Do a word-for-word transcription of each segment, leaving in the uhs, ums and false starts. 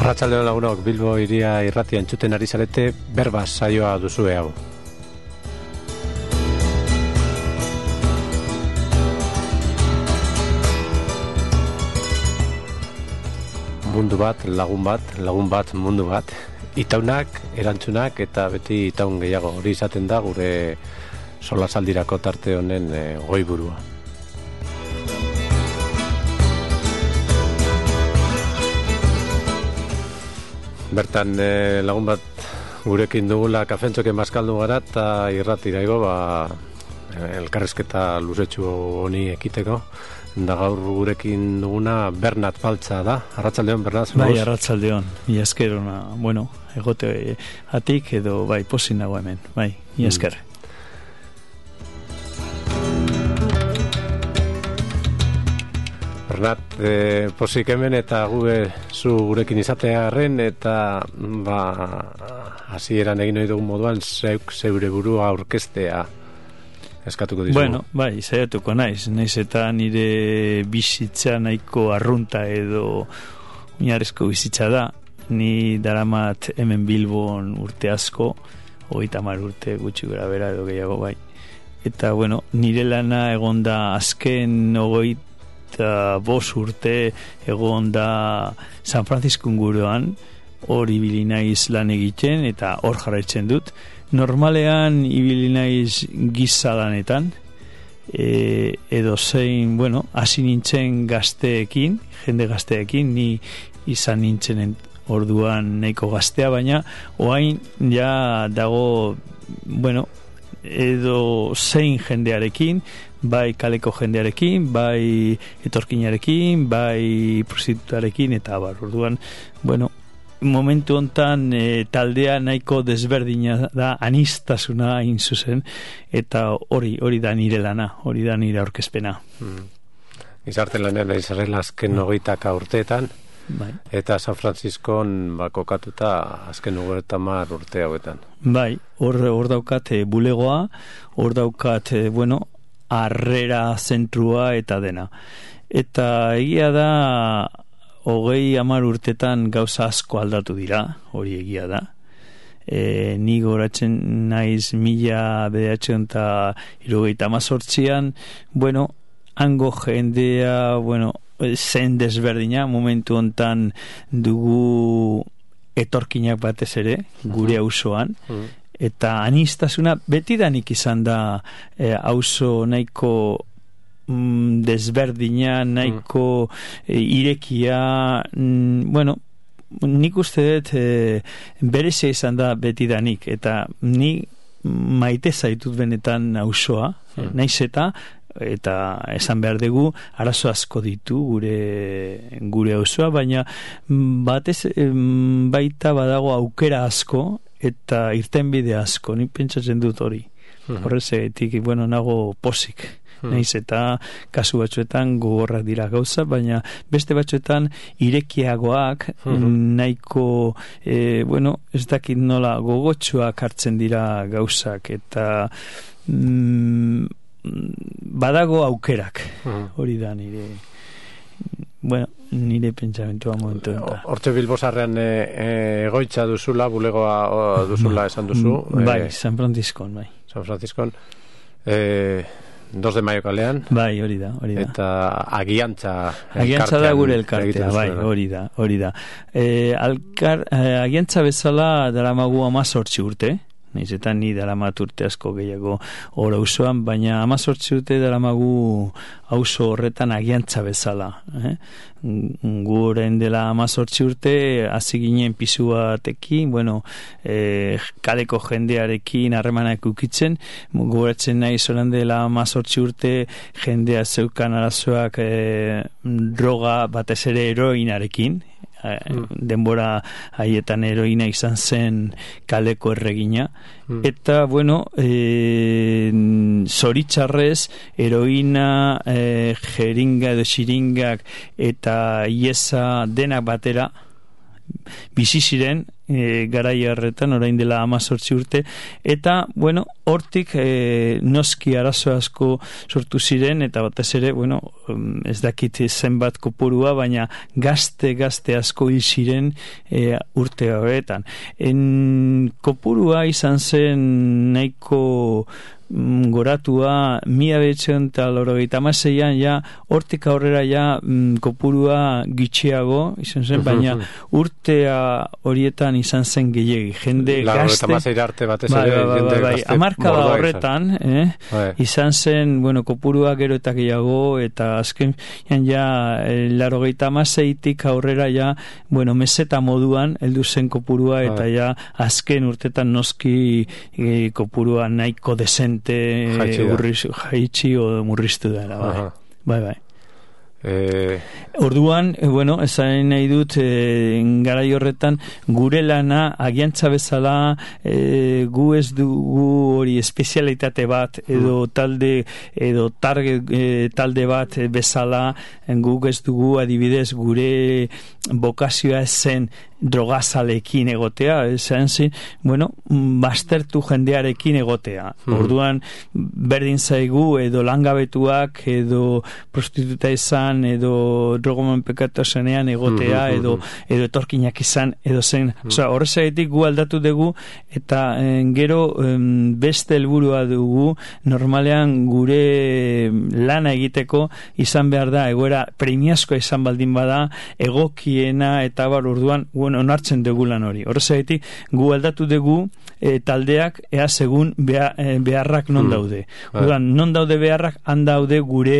Arratsaldeon lagunok, Bilbo Hiria irratia entzuten ari zarete, berba saioa duzue hau. Mundu bat, lagun bat, lagun bat, mundu bat. Itaunak, erantzunak eta beti itaun gehiago. Hori izaten da gure solasaldirako tarte honen e, goiburua. Bertan eh, lagun bat gurekin dugula kafentxoke maskaldu gara eta irratira igo, ba, elkarrezketa luzetxu honi ekiteko. Da gaur gurekin duguna Bernat Baltza da. Arratsaldeon, Bernat. Bai, arratsaldeon. Mila esker ona, bueno, egote atik edo bai pozik nago hemen. Bai, mila esker. Mm. Bernat, eh, pozik hemen eta gube zu gurekin izatearen eta ba hasieran egin ohi dugun moduan zeuk zeure burua aurkeztea eskatuko dizugu. Bueno, bai, saiatuko naiz, naiz eta nire bizitza nahiko arrunta edo oinarrizko bizitza da. Ni daramat hemen Bilbon urte asko, hogeita hamar urte gutxi gora bera edo gehiago bai. Eta bueno, nire lana egonda azken hogeita eta bos urte egon da San Francisco inguruan, hor ibili naiz lan egiten eta hor jarraitzen dut. Normalean ibili naiz giza lanetan, e, edo zein, bueno, hasi nintzen gazteekin, jende gazteekin, ni izan nintzen orduan nahiko gaztea, baina orain ja dago, bueno, edo zein jendearekin, bai kaleko jendearekin, bai etorkinarekin, bai prostitutarekin, eta bar, orduan, bueno, momentu hontan e, taldea nahiko desberdina da, anistasuna hain zuzen, eta hori, hori da nire lana, hori da nire aurkezpena. Hmm. Gizarte lanean ari zarela azken hogeitaka urteetan, bai. Eta San Franciscon ba, kokatuta azken hogeita hamar urte hauetan. Bai, hor, hor daukat e, bulegoa, hor daukat, e, bueno, harrera zentrua eta dena. Eta egia da hogei hamar urtetan gauza asko aldatu dira, hori egia da. E, ni goratzen naiz mila bederatziehun eta hirurogeita hemezortzian, bueno, hango jendea, bueno, zen desberdina, momentu hontan dugu etorkinak batez ere, gure auzoan, uh-huh. Eta anistasuna betidanik izan da e, auzo nahiko mm, desberdina, nahiko e, irekia, mm, bueno, nik uste dut e, berezia izan da betidanik, eta ni maite zaitut benetan auzoa, hmm. naiz eta eta esan behar dugu arazo asko ditu gure gure auzoa, baina batez baita badago aukera asko eta irtenbide asko, ni pentsatzen dut hori. Uh-huh. Horrezetik, bueno, nago pozik. Uh-huh. Naiz eta kasu batzuetan gogorrak dira gauza, baina beste batzuetan irekiagoak, uh-huh. nahiko, e, bueno, ez dakit nola gogotsuak hartzen dira gauzak, eta mm, badago aukerak. Uh-huh. Hori da nire... Bueno, nire pentsamentua momentu enta. Hortxe Bilbosarrean e, e, egoitza duzula, bulegoa o, duzula esan duzu. Bai, e, San Franciscon, bai. San Franciscon. E, dos de maio kalean. Bai, hori da, hori da. Eta agiantza agiantza da gure elkartea, bai, hori da, hori da. E, alkar, e, agiantza bezala daramagu hamazortzi urte, naiz eta ni daramat urte asko gehiago hor auzoan, baina hamazortzi urte daramagu auzo horretan agiantza bezala. Eh? Guren dela hamazortzi urte, hasi ginen pisu batekin, bueno, eh, kaleko jendearekin harremanak ukitzen, gogoratzen nahi zoran dela hamazortzi urte, jendea zeukan arazoak eh, droga batez ere heroinarekin, Mm. denbora haietan heroina izan zen kaleko erregina, mm. eta bueno e, zoritxarrez heroina, e, jeringa edo xiringak eta iesa denak batera bizi ziren e, garai harretan, orain dela hamazortzi urte, eta, bueno, hortik e, noski arazo asko sortu ziren, eta batez ere, bueno, ez dakit zenbat kopurua, baina gazte, gazte asko hil ziren e, urte horretan. En kopurua izan zen nahiko goratua mila behatziehun eta laurogeita hamaseian ja hortik aurrera ja mm, kopurua gitxiago izan zen, baina urtea horietan izan zen gehiegi jende gazte arte batez bai, ere bai, bai, bai, hamarkada horretan eh, bai. izan zen bueno, kopurua gero eta gehiago eta azken ja laurogeita hamaseitik aurrera ja bueno, meseta moduan heldu zen kopurua eta ja azken urtetan noski e, kopurua nahiko desen jaitsi o murriztu dara, bai. Bai, bai. Eh... Orduan, eh, bueno, esan nahi dut eh, garai horretan gure lana agiantza bezala eh, gu ez dugu hori espezialitate bat edo talde edo target eh, talde bat bezala guk ez dugu adibidez gure bokazioa zen drogazalekin egotea, esan zi, bueno, baztertu jendearekin egotea. Mm. Orduan, berdin zaigu edo langabetuak, edo prostituta izan, edo drogoman pekatu zenean egotea, mm-hmm, edo, edo etorkinak izan, edo zen. Mm. Osa, horrezaitik gu aldatu dugu, eta en, gero en, beste helburua dugu, normalean gure lana egiteko izan behar da, egoera premiazkoa izan baldin bada, egokiena, eta bar orduan, bueno, onartzen dugu lan hori. Horrezaitik, gu aldatu dugu e, taldeak ea segun beha, e, beharrak non daude. Mm. Orduan, non daude beharrak, han daude gure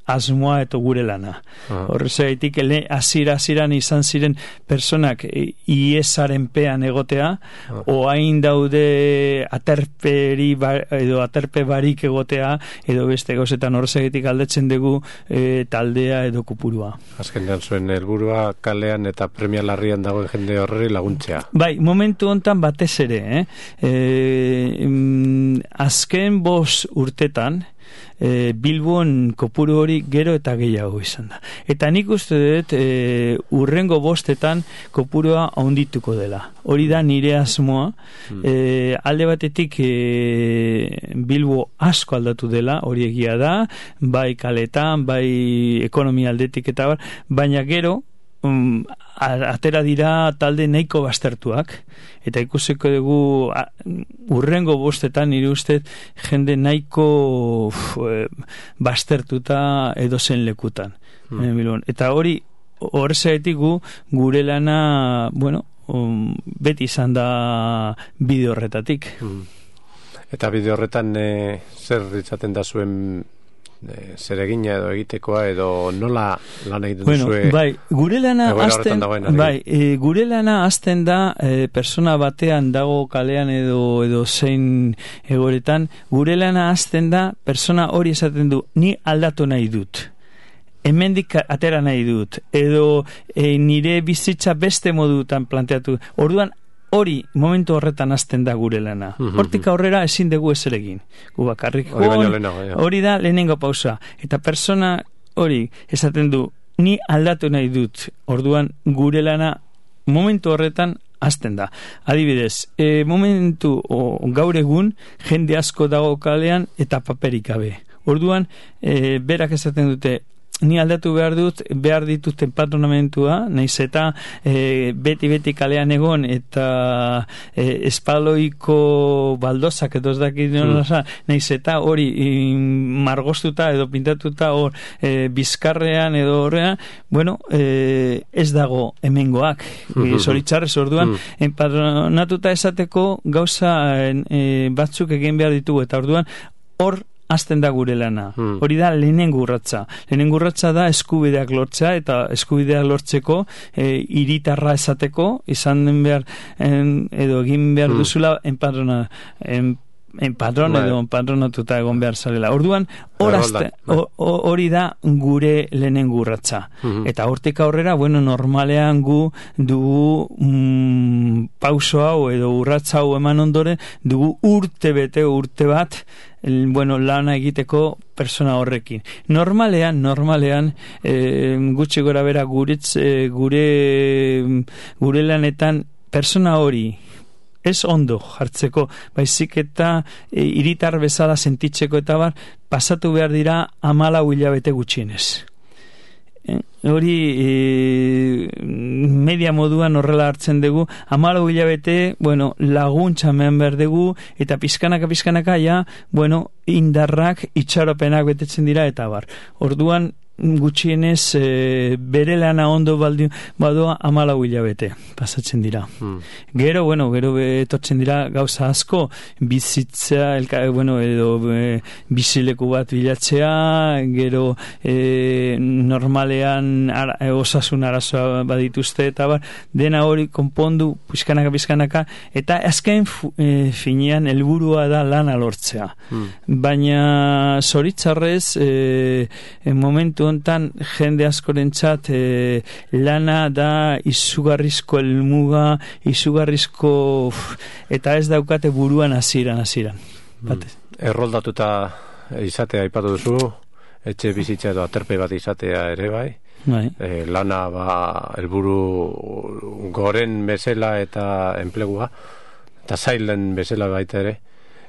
asmoa eta gure lana. Uh-huh. Horrezaitik, azira aziran izan ziren personak iesaren pean egotea, uh-huh. oain daude aterperi bar, edo aterpe barik egotea, edo beste gauzetan horrezaitik aldetzen dugu e, taldea edo kupurua. Azkenean zuen helburua kalean eta premia larrian dagoen jende horri laguntzea. Bai, momentu hontan batez ere, eh? E, mm, azken bos urtetan, E, Bilbon kopuru hori gero eta gehiago izan da. Eta nik uste dut e, urrengo bostetan kopurua haundituko dela. Hori da nire asmoa. Hmm. E, alde batetik e, Bilbo asko aldatu dela, hori egia da, bai kaletan, bai ekonomia aldetik eta bar, baina gero Um, atera dira talde nahiko baztertuak eta ikusiko dugu a, urrengo bostetan nire ustez jende nahiko uf, e, baztertuta edozen lekutan hmm. eta hori horrezaetik gu gure lana bueno, um, beti izan da bide horretatik hmm. Eta bide horretan e, zer ditzaten da zuen E, zer egina edo egitekoa edo nola lan egiten bueno, duzue bai, gure lana azten, bai, e, gure lana azten da e, persona batean dago kalean edo edo zein egoretan, gure lana azten da persona hori esaten du ni aldatu nahi dut hemendik atera nahi dut edo e, nire bizitza beste modutan planteatu, orduan hori momentu horretan hasten da gure lana. Hortik aurrera ezin dugu ezer egin. Gu bakarrik hori, hori da lehenengo pausa. Eta persona hori esaten du ni aldatu nahi dut. Orduan gure lana momentu horretan hasten da. Adibidez, e, momentu o, gaur egun jende asko dago kalean eta paperik gabe. Orduan e, berak esaten dute ni aldatu behar dut, behar dituzten patronamentua, naiz eta e, beti-beti kalean egon eta e, espaloiko baldozak edo ez dakit mm. naiz eta hori margostuta edo pintatuta hor e, bizkarrean edo horrean, bueno, e, ez dago hemengoak mm-hmm. zoritzarrez orduan mm. patronatuta esateko gauza e, batzuk egin behar ditugu eta orduan hor hasten da gure lana. Hmm. Hori da lehenengo urratsa. Lehenengo urratsa da eskubideak lortzea eta eskubideak lortzeko e, hiritarra esateko izan den behar en, edo egin behar hmm. duzula enpadrona en, enpadron edo enpadronatuta egon behar zarela. Orduan hori da gure lehenengo urratsa. Hmm. Eta hortik aurrera, bueno, normalean gu dugu mm, pauso hau edo urratsa hau eman ondoren dugu urte bete urte bat El, bueno, lana egiteko persona horrekin. Normalean, normalean, e, gutxi gora bera guretz, e, gure, gure lanetan persona hori ez ondo jartzeko, baizik eta e, hiritar bezala sentitzeko eta bar, pasatu behar dira hamalau hilabete gutxienez. E, hori e, media moduan horrela hartzen dugu, hamalau hilabete, bueno, laguntza hemen behar dugu, eta pizkanaka pizkanaka ja, bueno, indarrak, itxaropenak betetzen dira eta bar. Orduan, gutxienez e, bere lana ondo baldi, badoa hamalau hilabete pasatzen dira. Hmm. Gero, bueno, gero etortzen dira gauza asko, bizitza, elka, bueno, edo e, bizileku bat bilatzea, gero e, normalean ara, e, osasun arazoa badituzte eta bar, dena hori konpondu pizkanaka pizkanaka, eta azken e, finean helburua da lana lortzea. Hmm. Baina zoritzarrez e, e, momentu hontan jende askorentzat e, lana da izugarrizko helmuga, izugarrizko uf, eta ez daukate buruan hasieran hasieran. Mm. Erroldatuta izatea aipatu duzu, etxe bizitza edo aterpe bat izatea ere bai. Bai. E, lana ba helburu goren bezala eta enplegua eta zailen bezala baita ere.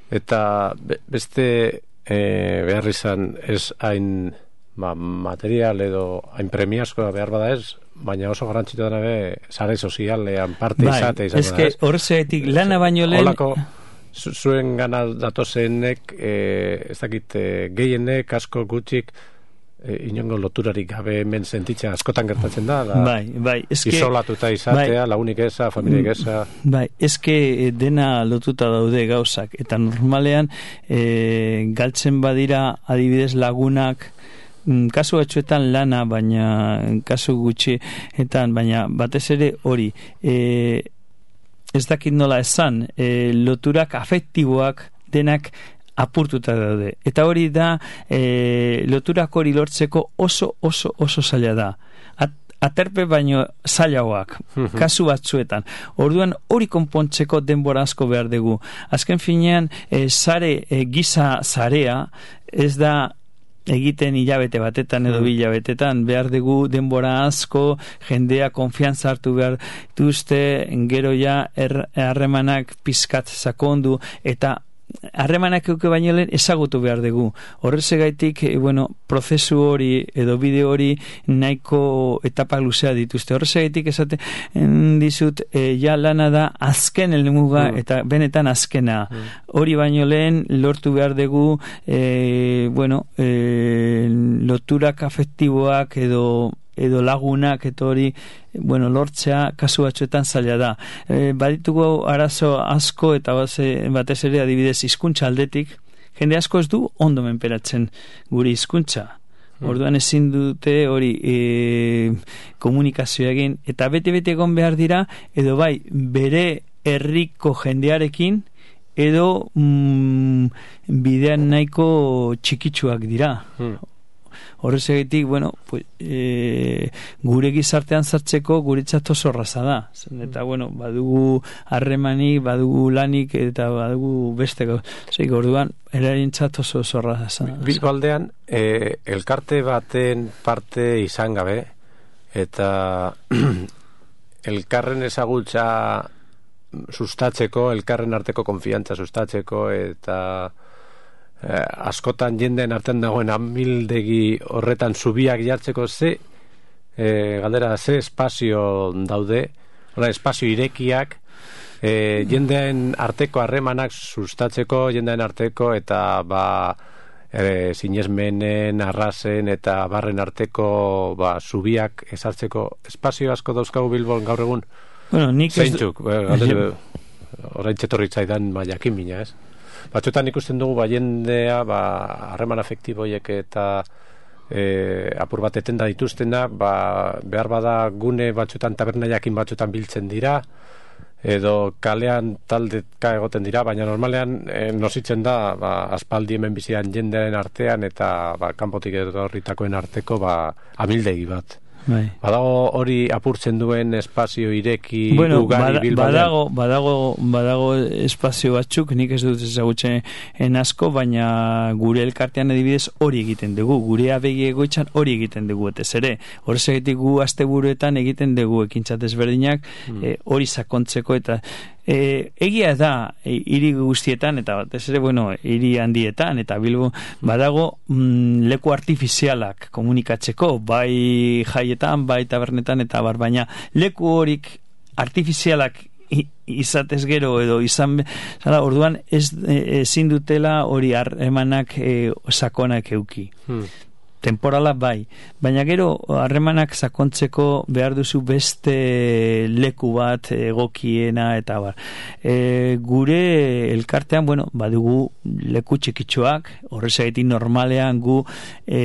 Eta be, beste e, behar izan ez hain ba, material edo hain premiazkoa behar bada ez, baina oso garrantzitsua dena be sare sozialean parte bai, izate izango da. Ez que horrezetik lana baino lehen olako zu, zuen gana datozenek e, ez dakit e, gehienek asko gutxik e, inongo loturarik gabe hemen sentitzea askotan gertatzen da, da bai, bai, eske, isolatuta izatea, bai, lagunik eza, familiak eza. Bai, eske dena lotuta daude gauzak, eta normalean e, galtzen badira adibidez lagunak, kasu batzuetan lana, baina kasu gutxietan, baina batez ere hori e, ez dakit nola esan, e, loturak afektiboak denak apurtuta daude, eta hori da e, loturak hori lortzeko oso oso oso zaila da. At, aterpe baino zailagoak, kasu batzuetan. Orduan hori konpontzeko denbora asko behar dugu. Azken finean e, sare, e, giza zarea ez da egiten hilabete batetan edo bi hilabetetan, behar dugu denbora asko, jendea konfiantza hartu behar duzte, gero ja harremanak er, pizkat sakondu, eta harremanak euke baino lehen ezagutu behar dugu. Horrezegaitik, bueno, prozesu hori edo bideo hori nahiko etapa luzea dituzte. Horrezegaitik esate dizut, e, ja lana da azken helmuga mm. eta benetan azkena. Mm. Hori baino lehen lortu behar dugu e, bueno, e, loturak afektiboak edo edo lagunak eta hori, bueno, lortzea kasu batzuetan zaila da. E, baditugu arazo asko eta batez ere adibidez hizkuntza aldetik, jende asko ez du ondo menperatzen guri hizkuntza. Orduan ezin dute hori e, komunikazioa egin, eta bete-bete egon behar dira, edo bai, bere herriko jendearekin, edo mm, bidean nahiko txikitsuak dira. Hmm. Horrezagatik, bueno, pues, e, gure gizartean sartzeko guretzat oso erraza da. Eta, bueno, badugu harremanik, badugu lanik, eta badugu beste gauzak. Orduan, erarintzat oso oso erraza. Bizko aldean, e, elkarte baten parte izan gabe, eta elkarren ezagutza sustatzeko, elkarren arteko konfiantza sustatzeko, eta Eh, askotan jendeen artean dagoen amildegi horretan zubiak jartzeko ze eh, galdera ze espazio daude, hori espazio irekiak eh, jendeen arteko harremanak sustatzeko, jendeen arteko eta ba eh, sinesmenen, arrazen eta barren arteko ba, zubiak ezartzeko espazio asko dauzkagu Bilbon gaur egun. Bueno, nik zeintzuk, galdera orain txetorri zaidan jakin mina, ez? Batzuetan ikusten dugu ba jendea ba harreman afektiboiek eta e, apur bat etenda dituztena, ba behar bada gune batzuetan taberna jakin batzuetan biltzen dira edo kalean taldeka egoten dira, baina normalean e, nositzen da ba aspaldi hemen bizian jendearen artean eta ba kanpotik etorritakoen arteko ba amildegi bat. Bai. Badago hori apurtzen duen espazio ireki bueno, ugari bada, Bilbaian? Badago, badago, badago espazio batzuk, nik ez dut ezagutzen asko, baina gure elkartean adibidez hori egiten dugu, gure abegi egoitzan hori egiten dugu, etez ere, horrezegetik gu asteburuetan egiten dugu ekintzat ezberdinak, mm. e, hori sakontzeko eta E, egia da hiri guztietan eta batez ere bueno hiri handietan eta Bilbo badago mm, leku artifizialak komunikatzeko bai jaietan bai tabernetan eta bar, baina leku horik artifizialak izatez gero edo izan zara, orduan ez ezin dutela hori harremanak e, sakonak euki. Hmm. Temporala bai, baina gero harremanak sakontzeko behar duzu beste leku bat egokiena eta bar. E, gure elkartean, bueno, badugu leku txikitxoak, horrezagatik normalean gu e,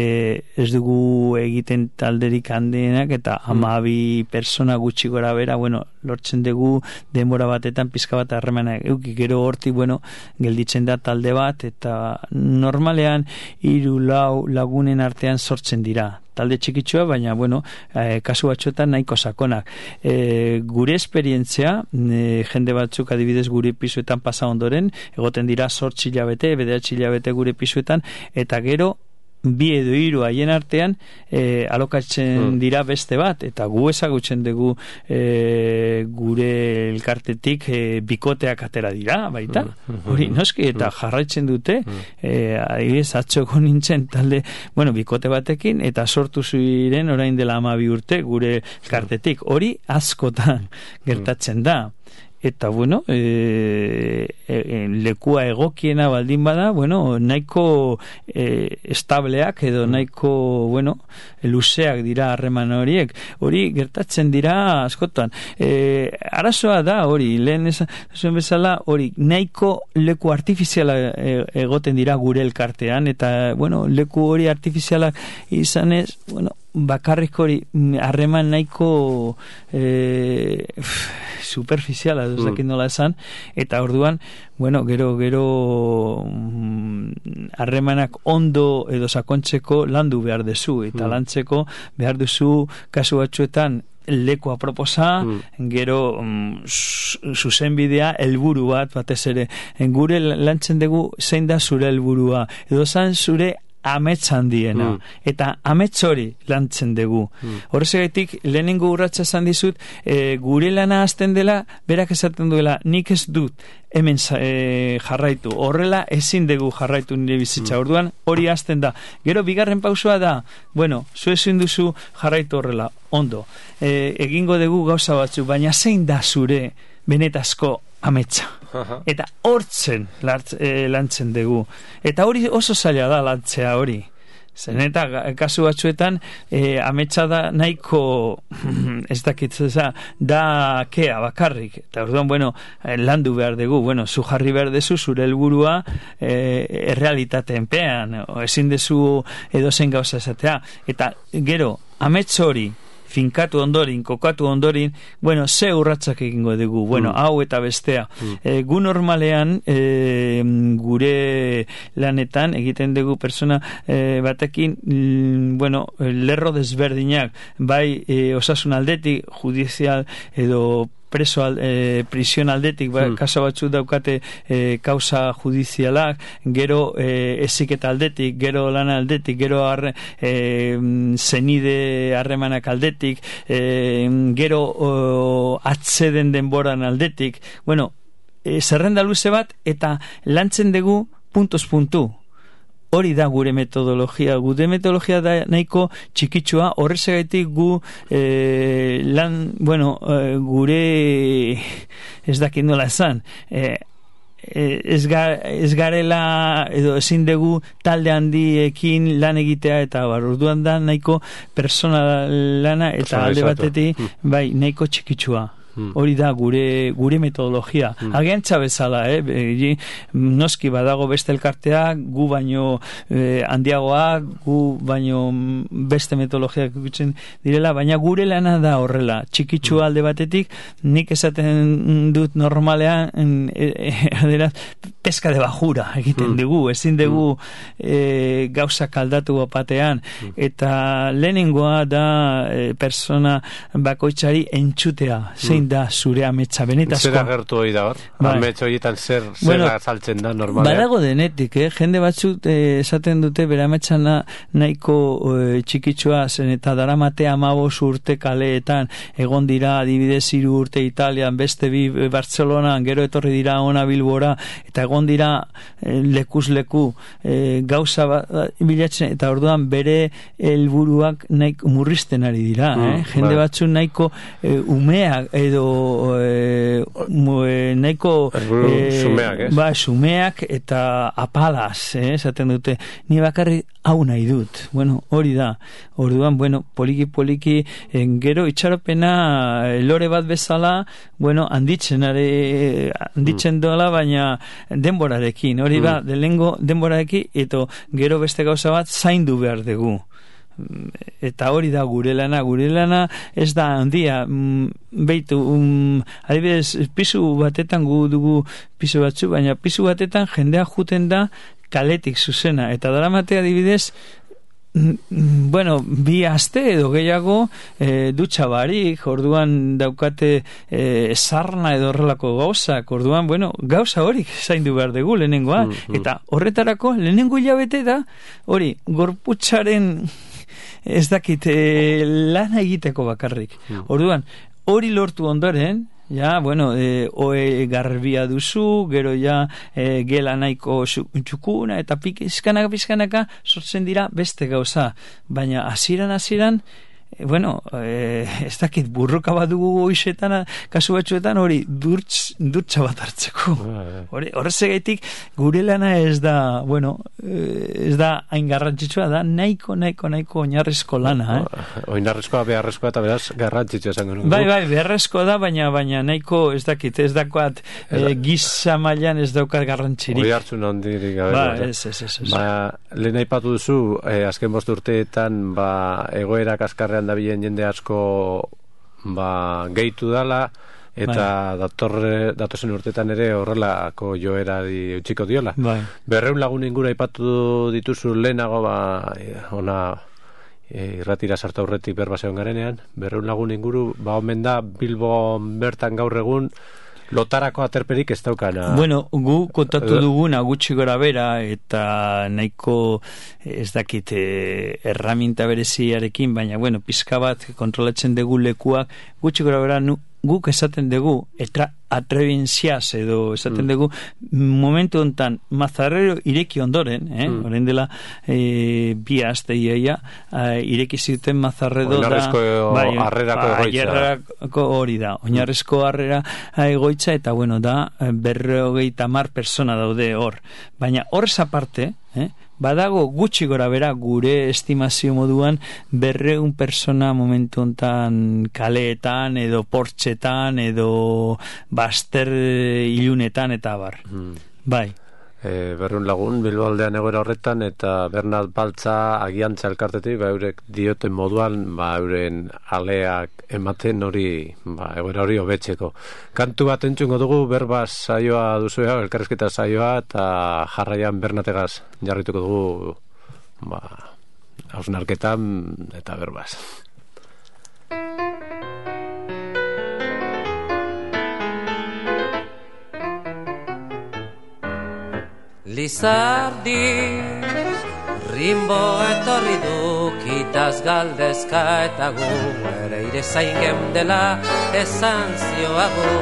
ez dugu egiten talderik handienak eta hamabi persona gutxi gora bera, bueno, lortzen dugu denbora batetan pizka bat harremanak euki, gero hortik, bueno, gelditzen da talde bat eta normalean hiru lau lagunen arte sortzen dira, talde txikitsua, baina, bueno, eh, kasu batzuetan nahiko sakonak. Eh, gure esperientzia, eh, jende batzuk adibidez gure pisuetan pasa ondoren, egoten dira zortzi hilabete, bederatzi hilabete gure pisuetan, eta gero, bi edo hiru haien artean eh, alokatzen dira beste bat eta gu ezagutzen dugu eh, gure elkartetik eh, bikoteak atera dira baita, hori noski eta jarraitzen dute eh, adibidez atxoko nintzen talde, bueno, bikote batekin eta sortu ziren orain dela hamabi urte gure elkartetik, hori askotan gertatzen da. Eta, bueno, e, e, lekua egokiena baldin bada, bueno, nahiko e, estableak edo nahiko, bueno, luzeak dira harreman horiek. Hori gertatzen dira askotan. E, arazoa da hori, lehen esan bezala, hori nahiko leku artifiziala egoten dira gure elkartean, eta, bueno, leku hori artifiziala izanez, bueno, bakarrik hori harreman nahiko e, superficiala ez dakit nola esan eta orduan bueno gero gero harremanak ondo edo sakontzeko landu behar duzu eta mm. lantzeko behar duzu kasu batzuetan leku aproposa, mm. gero mm, zuzenbidea helburu bat batez ere gure lantzen dugu zein da zure helburua edo zan zure amets handiena, mm. eta amets hori lantzen dugu. Mm. Horrezagatik, lehenengo urratsa esan dizut, e, gure lana hasten dela, berak esaten duela, nik ez dut hemen e, jarraitu. Horrela ezin dugu jarraitu nire bizitza. Mm. Orduan, hori hasten da. Gero, bigarren pausua da, bueno, zu ezin duzu jarraitu horrela, ondo. E, egingo dugu gauza batzu, baina zein da zure benetazko ametsa. Eta hortzen e, lantzen dugu. Eta hori oso zaila da lantzea hori. Zen eta kasu batzuetan e, ametsa da nahiko ez dakit da kea bakarrik. Eta orduan, bueno, landu behar dugu. Bueno, zu jarri behar dezu zure helburua e, errealitateen ezin dezu edozen gauza esatea. Eta gero, amets hori finkatu ondorin, kokatu ondorin, bueno, ze urratsak egingo dugu, bueno, mm. hau eta bestea. Mm. E, gu normalean, e, gure lanetan, egiten dugu persona e, batekin, mm, bueno, lerro desberdinak, bai e, osasun aldetik, judizial edo preso al, e, prisión aldetik, ba, hmm. kaso batzuk daukate e, kausa judizialak, gero e, eziketa aldetik, gero lana aldetik, gero arre, e, zenide harremanak aldetik, e, gero o, atzeden denboran aldetik, bueno, e, zerrenda luze bat, eta lantzen dugu puntuz puntu. Hori da gure metodologia. Gure metodologia da nahiko txikitsua, horrezagatik gu e, lan, bueno, e, gure ez dakit nola esan, e, ez, ga, ez garela edo ezin dugu talde handiekin lan egitea eta bar, orduan da nahiko persona lana eta alde batetik bai, nahiko txikitsua. Hmm. Hori da gure gure metodologia. Hmm. Agentza bezala, eh? E, noski badago beste elkarteak, gu baino eh, handiagoa, gu baino beste metodologiak ikutzen direla, baina gure lana da horrela. Txikitsu alde batetik, nik esaten dut normalean, e, e, peska de bajura egiten mm. dugu, ezin dugu mm. e, gauzak aldatu batean, mm. eta lehenengoa da e, persona bakoitzari entzutea, zein mm. da zure ametsa benetazko. Zer agertu hori da hor? Bai. Ametsa horietan zer, zer bueno, azaltzen da normalean? Badago denetik, eh? Jende batzuk eh, esaten dute bere ametsa na, nahiko eh, txikitsua zen eta daramatea amabos urte kaleetan, egon dira adibidez hiru urte Italian, beste bi Bartzelonan, gero etorri dira ona Bilbora, eta egon dira eh, lekuz leku eh, gauza ba, bilatzen, eta orduan bere helburuak nahiko murrizten ari dira, eh? Mm, jende bai. Batzuk nahiko eh, umeak edo eh, mu, eh, nahiko eh, sumeak, ba, sumeak eta apalaz, eh? Esaten dute, ni bakarri hau nahi dut. Bueno, hori da. Orduan, bueno, poliki poliki en, gero itxaropena lore bat bezala, bueno, handitzen are, handitzen mm. doala, baina denborarekin, hori mm. da, delengo denborarekin, eta gero beste gauza bat zaindu behar dugu. Eta hori da gure lana, gure lana ez da handia, mm, beitu, um, adibidez, pisu batetan gu dugu pisu batzu, baina pisu batetan jendea juten da kaletik zuzena, eta daramatea adibidez, bueno, bi aste edo gehiago e, dutxa barik, orduan daukate e, sarna edo horrelako gauzak, orduan, bueno, gauza horik zaindu behar dugu lehenengoa, mm-hmm. eta horretarako lehenengo hilabete da, hori, gorputzaren ez dakit, e, lana egiteko bakarrik. Mm. Orduan, hori lortu ondoren, ja, bueno, e, oe garbia duzu, gero ja e, gela nahiko txukuna, eta pizkanaka pizkanaka sortzen dira beste gauza. Baina hasieran hasieran bueno, eh, ez dakit burruka bat dugu hoizetan, kasu batzuetan hori durtz, durtza bat hartzeko. Hori, horrezegaitik gure lana ez da, bueno, ez da hain garrantzitsua, da nahiko, nahiko, nahiko oinarrizko lana, eh? Oinarrizkoa, beharrezkoa eta beraz garrantzitsua esango nuke. Bai, bai, beharrezkoa da, baina baina nahiko, ez dakit, ez dakoat eh, giza mailan ez daukat garrantzirik. Hori hartzun ondirik gabe. Ba, ez, ez, ez, ez. Ba, lehen aipatu duzu, eh, azken bost urteetan, ba, egoera kaskarrean dabilen jende asko ba, gehitu dala eta bai. datorre, datozen urtetan ere horrelako joerari utxiko diola. Bai. Berreun lagun ingura aipatu dituzu lehenago ba, ona e, irratira sartu aurretik berbaseon garenean, berreun lagun inguru ba, omen da Bilbo bertan gaur egun lotarako aterperik ez daukana. Bueno, gu kontatu duguna gutxi gora bera eta nahiko ez dakit eh, erraminta bereziarekin, baina bueno, pizka bat kontrolatzen dugu lekuak gutxi gora bera nu, guk esaten dugu etra atrebintziaz edo esaten mm. dugu momentu hontan Mazarrero ireki ondoren, eh? Mm. Orain dela e, bi aste iaia e, ireki zuten Mazarrero da bai, harrerako egoitza. Hori da, oinarrezko harrera egoitza eta bueno, da berrogeita hamar persona daude hor. Baina horrez aparte, eh? Badago gutxi gora bera gure estimazio moduan berreun persona momentu hontan kaleetan edo portxetan edo baster ilunetan eta bar. Hmm. Bai. E, berreun lagun Bilbo aldean egoera horretan eta Bernat Baltza agiantza elkartetik ba eurek dioten moduan ba euren aleak ematen hori ba egoera hori hobetzeko. Kantu bat entzungo dugu berbaz saioa duzu elkarrizketa saioa eta jarraian Bernategaz jarrituko dugu ba hausnarketan eta berbaz. Lizardi rimbo etorri du kitaz galdezka eta gu ere ire zain gemdela esan zioagu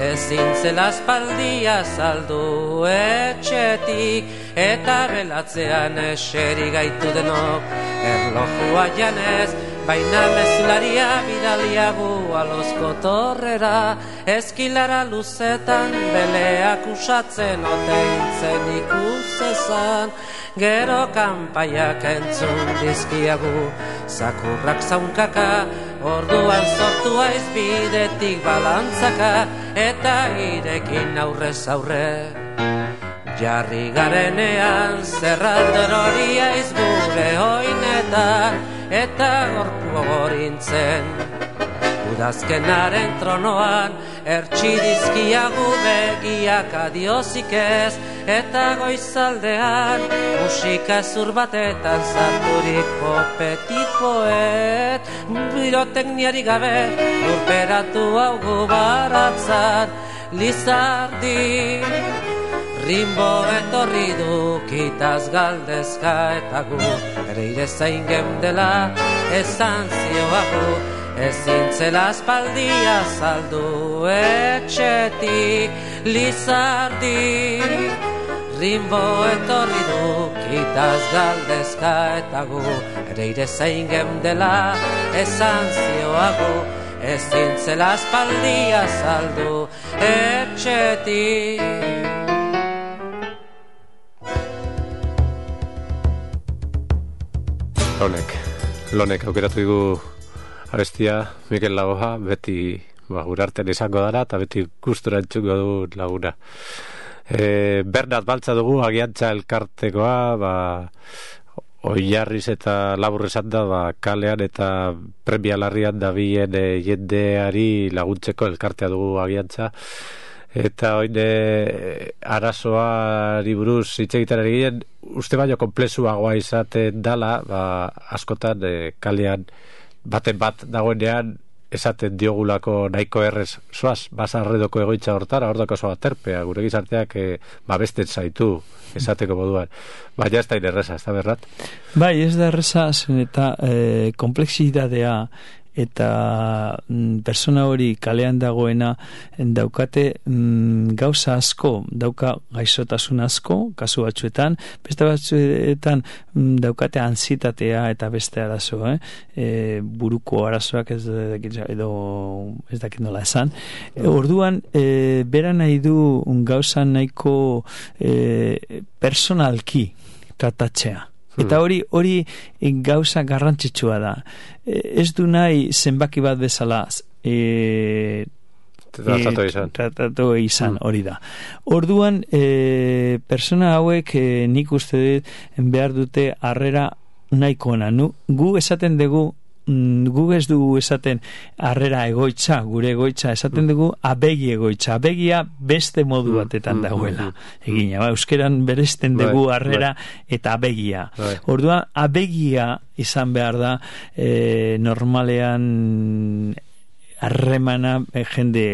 ezin zela aspaldia saldu etxetik eta belatzean eseri gaitu denok erlojua janez baina mezularia bidaliagu alozko torrera eskilara luzetan beleak usatzen oteintzen ikusezan gero kanpaiak entzun dizkiagu zakurrak zaunkaka orduan sortu aiz bidetik balantzaka eta irekin aurrez aurre jarri garenean zerralder hori aiz gure oinetan eta gorpu gorintzen udazkenaren tronoan ertsi dizkiagu begiak adiozik ez eta goizaldean musika zur batetan zarturiko petit poet birotekniari gabe lurperatu haugu baratzan Lizardi Rimbo etorri du kitaz galdezka eta gu ere ire zain gemdela esan zioagu ezin zela aspaldia saldu etxetik Lizardi Rimbo etorri du kitaz galdezka eta gu ere ire zain gemdela esan zioagu ezin zela aspaldia saldu etxetik Lonek, lonek aukeratu dugu abestia Mikel Lagoa, beti ba, gure artean izango dara eta beti gustura entzuko du laguna. E, Bernat Baltza dugu, agiantza elkartekoa, ba, oilarriz eta labur esan da, ba, kalean eta premia larrian dabien e, jendeari laguntzeko elkartea dugu agiantza. Eta oin arazoari buruz hitz egiten ari ginen, uste baino konplexuagoa izaten dala, ba, askotan e, kalean baten bat dagoenean esaten diogulako nahiko errez zoaz, basarredoko egoitza hortara, hor dako zoa terpea, gure gizarteak e, babesten zaitu esateko moduan. Baina ez da inerreza, ez da berrat? Bai, ez da erreza, zen eta e, komplexidadea eta mm, persona hori kalean dagoena daukate mm, gauza asko, dauka gaixotasun asko, kasu batzuetan, beste batzuetan mm, daukate ansietatea eta beste arazo, eh? E, buruko arazoak ez dakit, edo ez dakit nola esan. E, orduan, e, bera nahi du gauza nahiko e, personalki tratatzea. Eta hori hori gauza garrantzitsua da. Ez du nahi zenbaki bat bezala e, tratatu izan, tratatu izan hori da. Orduan, e, persona hauek e, nik uste dut behar dute harrera nahiko ona. Nu, gu esaten dugu gu ez dugu esaten harrera egoitza, gure egoitza esaten dugu abegi egoitza, abegia beste modu batetan dagoela egina, ba, euskeran beresten dugu harrera eta abegia. Orduan abegia izan behar da e, normalean harremana e, jende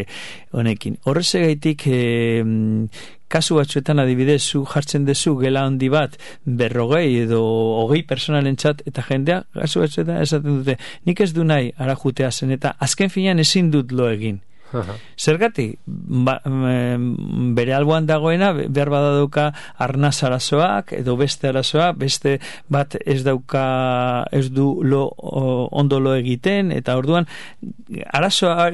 honekin. Horrezegaitik e, kasu batzuetan adibidez, zu jartzen dezu gela handi bat berrogei edo hogei personalentzat eta jendea kasu batzuetan esaten dute, nik ez du nahi ara jutea zen eta azken finean ezin dut lo egin. Zergatik, ba, bere alboan dagoena behar badauka arnaz arazoak edo beste arazoa, beste bat ez dauka ez du lo, ondo lo egiten eta orduan arazoa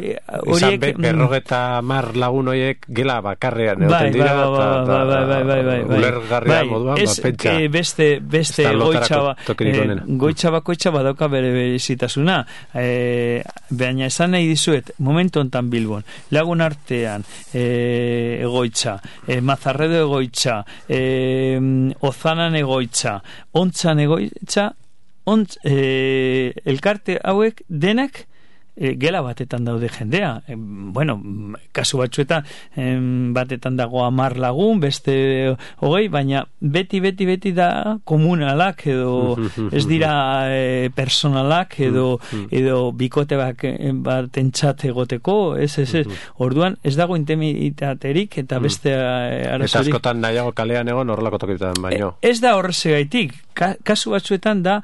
horiek be, berrogeta mar lagun horiek gela bakarrean egoten dira eta ulergarria moduan pentsa beste, beste goitza goitza bakoitza badauka bere berezitasuna e, baina esan nahi dizuet momentu ontan bil lagun artean e, egoitza, e, Mazarredo egoitza, e, Ozanan egoitza, Ontzan egoitza, ontz, e, elkarte hauek denak e, gela batetan daude jendea. E, bueno, kasu batzuetan e, batetan dago hamar lagun, beste hogei, baina beti, beti, beti da komunalak edo ez dira e, personalak edo, edo bikote bak, bat entzat egoteko, ez, ez, ez. Orduan, ez dago intimitaterik eta beste arazorik. Eta askotan nahiago kalean egon horrelako tokitan baino. E, ez da horrezegaitik, Ka, kasu batzuetan da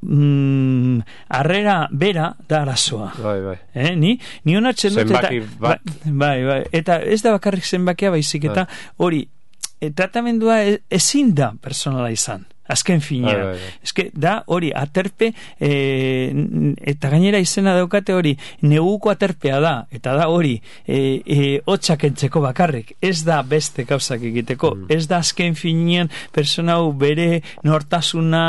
Mm, arrera bera da arazoa. Bai, bai. Eh, ni ni onatzen dut eta bat. Bai, bai, eta ez da bakarrik zenbakia baizik eta hori e, tratamendua e, ezin da personala izan. Azken finean. Bai, bai, bai. Eske da hori aterpe e, eta gainera izena daukate hori neguko aterpea da eta da hori e, e, hotxak entzeko bakarrik. Ez da beste gauzak egiteko. Mm. Ez da azken finean persona hau bere nortasuna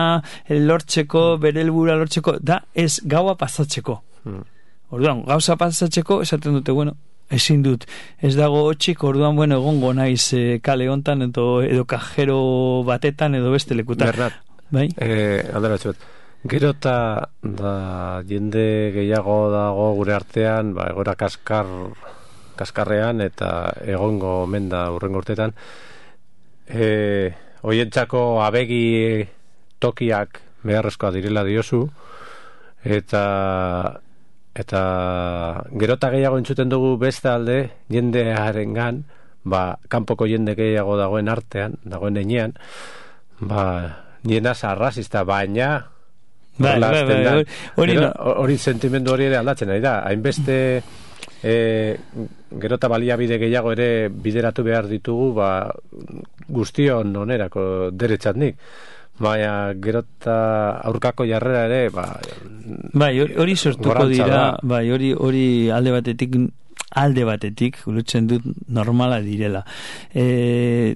lortzeko, bere helburua lortzeko, da ez gaua pasatzeko. Mm. Orduan, gauza pasatzeko esaten dute, bueno, ezin dut, ez dago hotxik, orduan, bueno, egongo naiz e, kale hontan edo, edo kajero batetan edo beste lekutan. Bernat, bai? Eh, aldera txuet, gero eta da jende gehiago dago gure artean, ba, egora kaskar, kaskarrean eta egongo menda urrengo urtetan, e, oientzako abegi tokiak beharrezkoa direla diozu, eta eta gerota gehiago entzuten dugu beste alde jendearengan, ba, kanpoko jende gehiago dagoen artean, dagoen enean, ba, niena arrazista, baina bai, bai, bai, hori no. Hori sentimendu hori ere aldatzen ari da, hainbeste e, gerota baliabide gehiago ere bideratu behar ditugu, ba, guztion onerako deretzatnik. Baina gerota aurkako jarrera ere, ba, bai, hori sortuko dira, bai, hori hori alde batetik alde batetik ulertzen dut normala direla. E,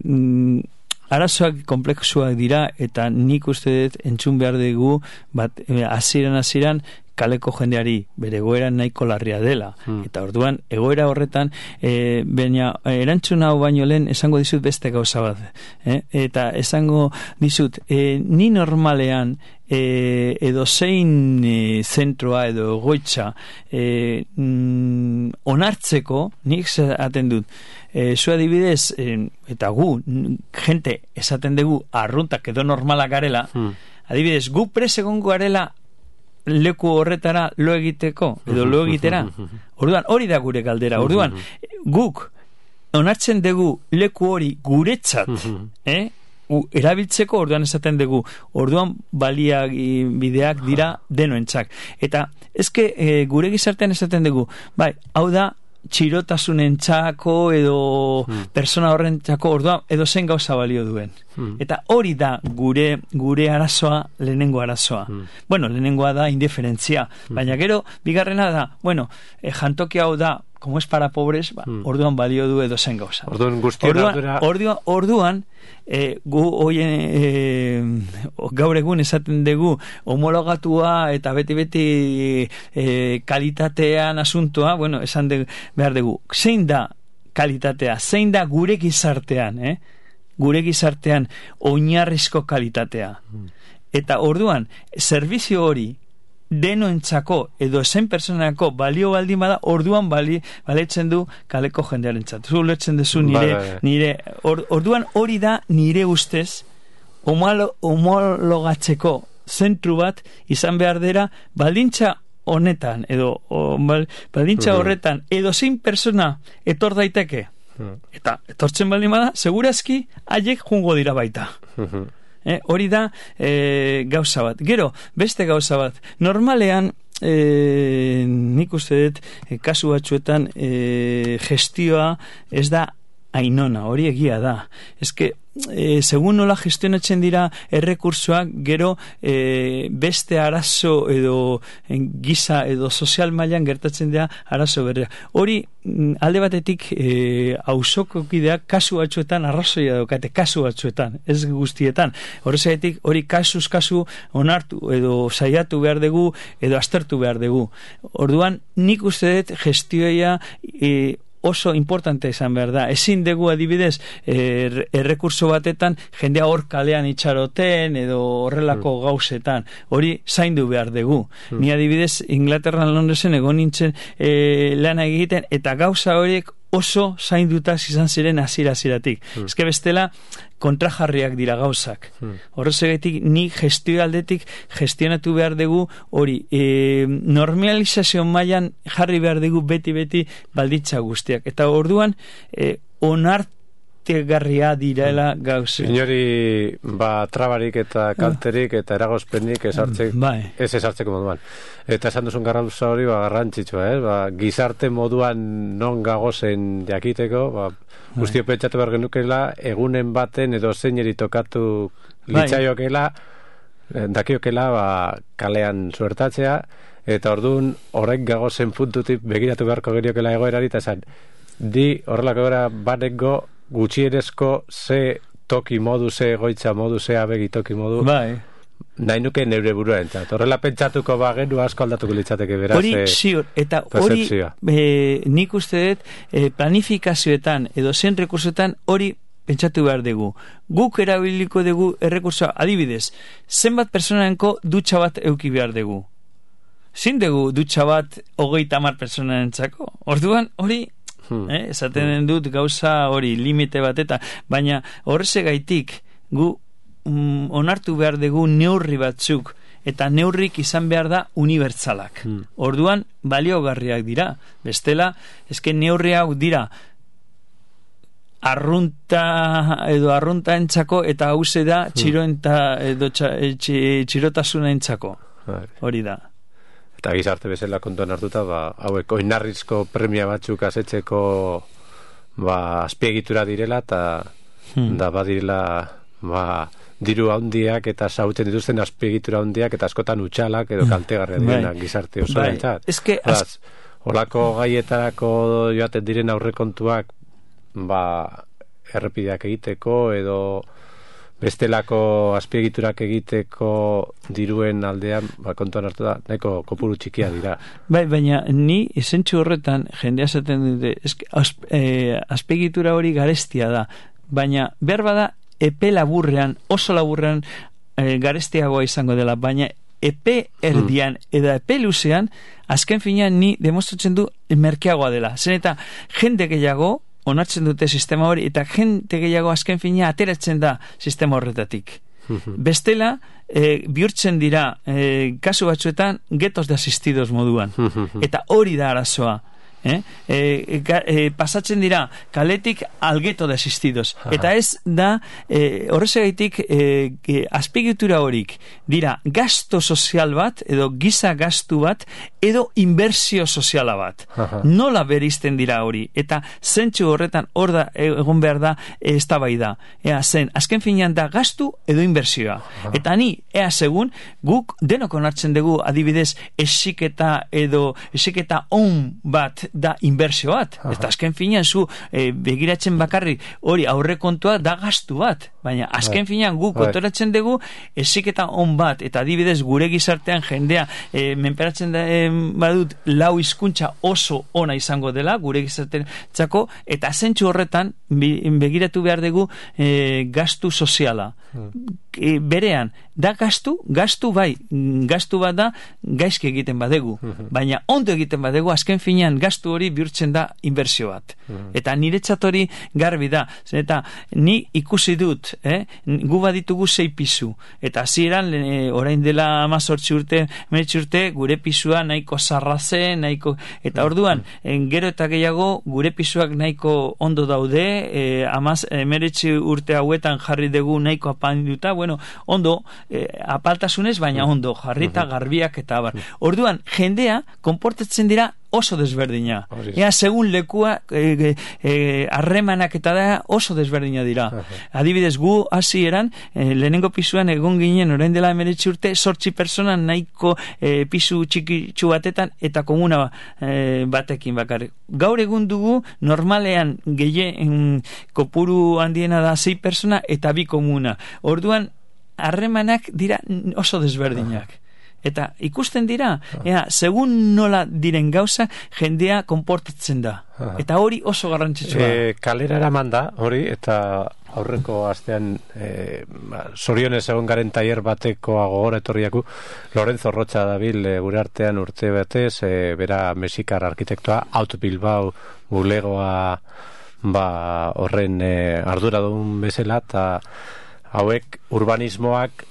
arazoak komplexuak dira, eta nik uste dut entzun behar dugu, bat, hasieran hasieran kaleko jendeari bere egoera nahiko larria dela. Hmm. Eta orduan, egoera horretan, e, baina erantzun hau baino lehen esango dizut beste gauza bat. Eh? Eta esango dizut, e, ni normalean e, edo zein e, zentroa edo egoitza e, mm, onartzeko, nik esaten dut, e, zu adibidez, e, eta gu, gente esaten dugu arruntak edo normalak garela, hmm. adibidez, gu presegongo garela leku horretara lo egiteko edo lo egitera. Orduan hori da gure galdera. Orduan guk onartzen dugu leku hori guretzat, eh? U, erabiltzeko, orduan esaten dugu, orduan baliak bideak dira denoentzak. Eta eske e, gure gizartean esaten dugu, bai, hau da txirotasunentzako edo hmm. persona horrentzako, orduan edo zen gauza balio duen. Hmm. Eta hori da gure gure arazoa, lehenengo arazoa. Hmm. Bueno, lehenengoa da indiferentzia, hmm. baina gero bigarrena da, bueno, e, jantoki hau da, como es para pobres, ba, hmm. orduan balio du edo zen gauza. Orduan guztion ardura... Orduan, orduan e, gu oien e, gaur egun esaten dugu homologatua eta beti-beti e, kalitatean asuntoa, bueno, esan de, behar dugu, zein da kalitatea, zein da gure gizartean, eh? gure gizartean oinarrizko kalitatea. Hmm. Eta orduan, zerbizio hori denoentzako edo zen personako balio baldin bada, orduan bali, baletzen du kaleko jendearentzat. Zu ulertzen duzu nire, ba, nire or, orduan hori da nire ustez homolo, homologatzeko zentru bat izan behar dira baldintza honetan edo o, bal, baldintza uh-huh. horretan edo zein persona etor daiteke uh-huh. eta etortzen baldin bada segurazki haiek jungo dira baita. Uh-huh. Eh, hori da eh, gauza bat. Gero, beste gauza bat. Normalean, eh, nik uste dut, eh, kasu batzuetan eh, gestioa ez da ainona, hori egia da. Ez que, eh, segun nola gestionatzen dira errekursoak, gero eh, beste arazo edo en, giza edo sozial mailan gertatzen dira arazo berria. Hori, alde batetik eh, auzoko kideak kasu batzuetan arrazoia daukate, kasu batzuetan, ez guztietan. Horrezatik hori kasuz kasu onartu edo saiatu behar dugu edo aztertu behar dugu. Orduan nik uste dut gestioia eh, oso importante izan behar da. Ezin dugu adibidez er, errekurso batetan jendea hor kalean itxaroten edo horrelako mm. gauzetan. Hori zaindu behar dugu. Mm. Ni adibidez Inglaterran Londresen egon nintzen e, lana egiten eta gauza horiek oso zaindutaz izan ziren hasiera-hasieratik. Mm. Eske bestela kontrajarriak dira gauzak. Hmm. Horrezegatik ni gestio aldetik gestionatu behar dugu hori e, normalizazio mailan jarri behar dugu beti-beti balditza guztiak. Eta orduan e, onartegarria direla gauza. Inori ba, trabarik eta kalterik eta eragozpenik esartzek, bai. ez esartzeko moduan. Eta esan duzun garrantza hori ba, garrantzitsua, eh? Ba, gizarte moduan non gagozen jakiteko, ba, guztio pentsatu behar genukela, egunen baten edo zeineri tokatu litzaiokela, dakiokela ba, kalean suertatzea, eta orduan horrek gagozen puntutik begiratu beharko geriokela egoerari, eta esan, di horrelako gara baneko gutxienezko ze toki modu, ze egoitza modu, ze abegi toki modu, bai. Nahi nuke neure burua entzat. Horrela pentsatuko bagenu asko aldatuko litzateke beraz. Hori ziur, eta hori e, nik uste dut e, planifikazioetan edo zen rekursoetan hori pentsatu behar dugu. Guk erabiliko dugu errekursoa, adibidez, zenbat personaenko dutxa bat euki behar dugu. Zin dugu dutxa bat hogeita hamar personaentzako. Orduan hori Hmm. Eh? Esaten dut gauza hori, limite bat, eta baina horrezegaitik gu mm, onartu behar dugu neurri batzuk, eta neurrik izan behar da unibertsalak. Hmm. Orduan, baliogarriak dira. Bestela, eske neurri hau dira arrunta edo arrunta entzako, eta hause da txiroenta edo txa, txi, txirotasuna entzako. Hori da. Eta gizarte bezala kontuan hartuta, ba, hauek oinarrizko premia batzuk asetzeko ba, azpiegitura direla, eta hmm. da badirela ba, diru handiak eta sautzen dituzten azpiegitura handiak eta askotan utxalak edo kaltegarria direnak bai. Gizarte oso bai. Entzat. Eske az... Olako gaietarako joaten diren aurrekontuak ba, errepideak egiteko edo bestelako azpiegiturak egiteko diruen aldean ba, kontuan hartu da, nahiko kopuru txikia dira. Bai, baina ni esentzu horretan jendea zaten dute, azp, eh, azpiegitura hori garestia da, baina behar bada epe laburrean, oso laburrean eh, garestiagoa izango dela, baina epe erdian hmm. edo epe luzean, azken finean ni demostratzen du merkeagoa dela. Zen eta jende gehiago onartzen dute sistema hori, eta jende gehiago azken fina ateratzen da sistema horretatik. Bestela, e, bihurtzen dira e, kasu batzuetan getos de asistidos moduan. Eta hori da arazoa. Eh? E, e, pasatzen dira kaletik algeto de asistidos. Eta ez da e, horrezagaitik e, e, azpiegitura horik dira gasto sozial bat edo giza gastu bat edo inbertsio soziala bat. Aha. Nola berizten dira hori, eta zentsu horretan hor da egon behar da e, eztabaida. Ea zen, azken finean da gastu edo inbertsioa. Aha. Eta ni, ea segun, guk denok onartzen dugu adibidez esiketa edo esiketa on bat da inbertsio bat. Aha. Eta azken finean zu e, begiratzen bakarri hori aurrekontua da gastu bat. Baina azken finean guk kontoratzen dugu esiketa on bat, eta adibidez gure gizartean jendea e, menperatzen da, e, badut lau hizkuntza oso ona izango dela gure gizarteantzako, eta zentzu horretan begiratu behar dugu e, gastu soziala. E, berean, da gastu, gastu bai, gastu bat da gaizki egiten badegu, baina ondo egiten badegu, azken finean gastu hori bihurtzen da inbertsio bat. Eta niretzat hori garbi da, eta ni ikusi dut, eh? Gu baditugu sei pisu, eta hasieran e, orain dela hamazortzi urte, hemeretzi urte, gure pisua nahiko zarraze, nahiko, eta orduan, en, gero eta gehiago gure pisuak nahiko ondo daude, e, hamaz hemeretzi urte hauetan jarri dugu nahiko apanduta, bueno, ondo, e, apaltasunez, baina ondo, jarrita garbiak eta abar. Orduan, jendea konportatzen dira oso desberdina. Ea, segun lekua harremanak e, e, eta da oso desberdina dira. Adibidez, gu hasi eran, e, lehenengo pisuan egon ginen orain dela hemeretzi urte, sortzi persona nahiko e, pisu txikitsu batetan eta komuna e, batekin bakarrik. Gaur egun dugu normalean gehien kopuru handiena da sei persona eta bi komuna. Orduan, harremanak dira oso desberdinak. Eta ikusten dira, ea, segun nola diren gauza, jendea konportatzen da. Eta hori oso garrantzitsua. E, kalera eraman da, hori, eta aurreko astean e, zorionez egon garen tailer bateko agogora etorriaku, Lorenzo Rocha dabil e, gure artean urte batez, e, bera mexikar arkitektoa, Auto Bilbao bulegoa ba, horren e, arduradun bezala, eta hauek urbanismoak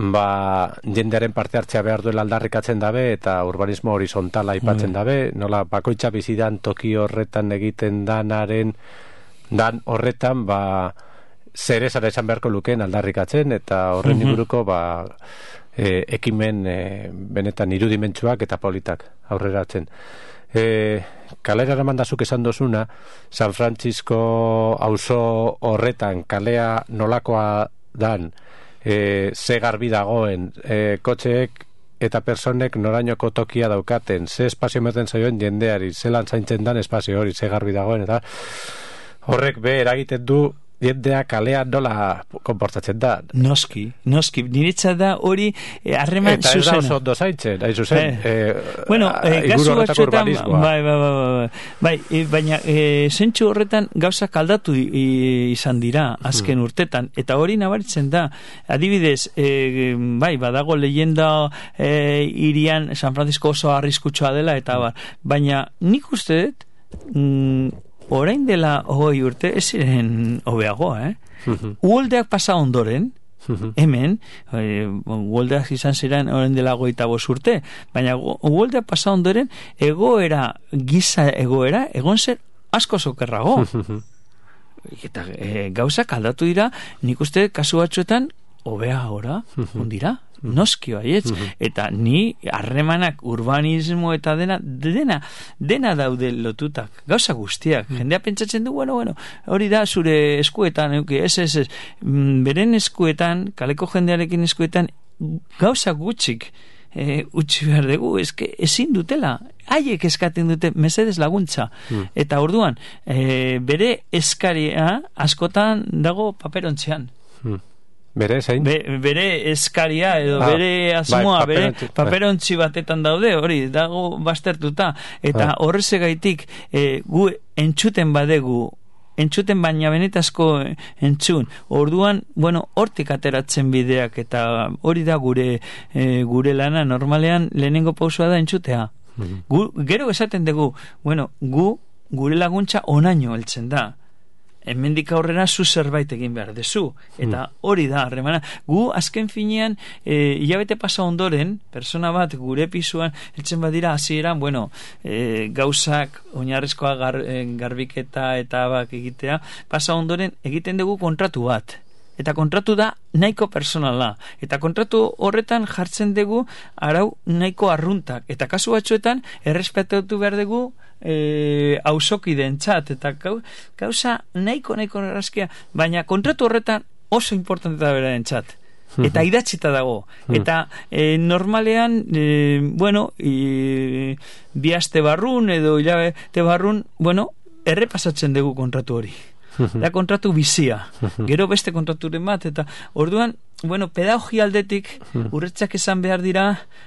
ba, jendearen parte hartzea behar duela aldarrikatzen dabe, eta urbanismo horizontala aipatzen dabe, nola bakoitza bizidan toki horretan egiten danaren dan horretan ba, zer esan esan beharko lukeen aldarrikatzen, eta horren inguruko ba, e, ekimen e, benetan irudimentsuak eta politak aurreratzen. E, kalera ramandazuk esan dozuna, San Francisco auzo horretan kalea nolakoa dan, E, ze garbi dagoen, e, kotxeek eta personek norainoko tokia daukaten, ze espazio meten zaioen jendeari, zelan zaintzen dan espazio hori, ze garbi dagoen, eta horrek be eragiten du jendea kalea nola konportatzen da. Noski, noski, niretza da hori harreman eta zuzena. Eta ez da oso ondo zaintzen, hain zuzen. Eh, eh, bueno, eh, gazu batzuetan, bai, bai, bai, bai, bai, e, baina e, zentsu horretan gauzak aldatu izan dira azken urtetan, eta hori nabaritzen da. Adibidez, e, bai, badago leyenda e, irian San Francisco oso arriskutsua dela, eta bar, baina nik uste dut, mm, orain dela hogei urte ez ziren hobeagoa, eh? Uholdeak pasa ondoren, hemen, e, uholdeak izan ziren orain dela hogeita bost urte, baina uholdeak pasa ondoren, egoera, giza egoera, egon zer asko zokerrago. Eta e, gauzak aldatu dira, nik uste kasu batzuetan, hobea ora, ondira, noski baietz, eta ni harremanak urbanismo eta dena, dena, dena daude lotutak, gauza guztiak, jendea pentsatzen du, bueno, bueno, hori da zure eskuetan, ez, ez, ez, beren eskuetan, kaleko jendearekin eskuetan, gauza gutxik, E, utzi behar dugu, eske ezin dutela, haiek eskaten dute mesedez laguntza, mm. eta orduan e, bere eskaria askotan dago paperontzean. Mm. Bere zein? Be, bere eskaria edo ah, bere asmoa, bai, bere paperontzi batetan daude, hori dago baztertuta, eta ah. horrezegaitik e, gu entzuten badegu entzuten baina benetazko entzun. Orduan, bueno, hortik ateratzen bideak eta hori da gure e, gure lana normalean lehenengo pausua da entzutea. Mm-hmm. Gu, gero esaten dugu, bueno, gu gure laguntza onaino heltzen da. Hemendik aurrera zu zerbait egin behar dezu. Eta hori da, harremana. Gu azken finean, e, hilabete pasa ondoren, persona bat gure pisuan, heltzen badira hasieran, bueno, e, gauzak, oinarrizkoa gar, e, garbiketa eta bak egitea, pasa ondoren egiten dugu kontratu bat. Eta kontratu da nahiko personala. Eta kontratu horretan jartzen dugu arau nahiko arruntak. Eta kasu batzuetan errespetatu behar dugu e, auzokidentzat. Eta gauza nahiko nahiko errazkia. Baina kontratu horretan oso importante da berarentzat. Eta idatzita dago. Eta e, normalean, e, bueno, e, bi aste barrun edo hilabete barrun, bueno, errepasatzen dugu kontratu hori. Da kontratu bizia, gero beste kontraturen bat, eta orduan, bueno, pedagogia aldetik urretzak esan behar dira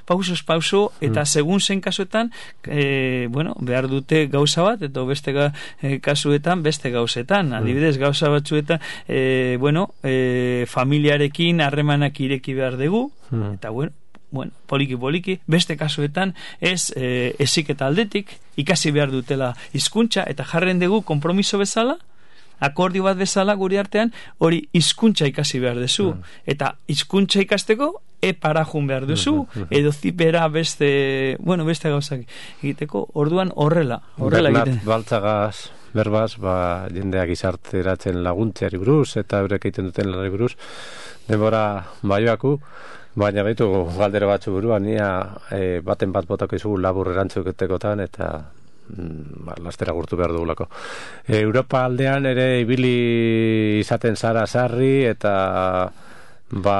pausos pauso, eta segun zen kasuetan, e, bueno, behar dute gauza bat, eta beste ga, e, kasuetan, beste gauzetan, adibidez gauza batzuetan, e, bueno, e, familiarekin harremanak ireki behar dugu, eta bueno, bueno, poliki poliki, beste kasuetan ez e, eziketa aldetik, ikasi behar dutela hizkuntza eta jarren dugu konpromiso bezala, akordio bat bezala gure artean, hori hizkuntza ikasi behar duzu. Mm. Eta hizkuntza ikasteko epara jun behar duzu, mm-hmm. edo zipera beste, bueno, beste gauzak egiteko, orduan horrela. horrela Bernat Baltzagaz, berbaz, ba, jendeak izarteratzen laguntzeari buruz, eta eurek egiten duten lanari buruz, denbora baioaku, baina behitu galdera batzu buruan, nia e, baten bat botako izugu labur erantzuketekotan, eta ba, lastera gurtu behar dugulako. E, Europa aldean ere ibili izaten zara sarri eta ba,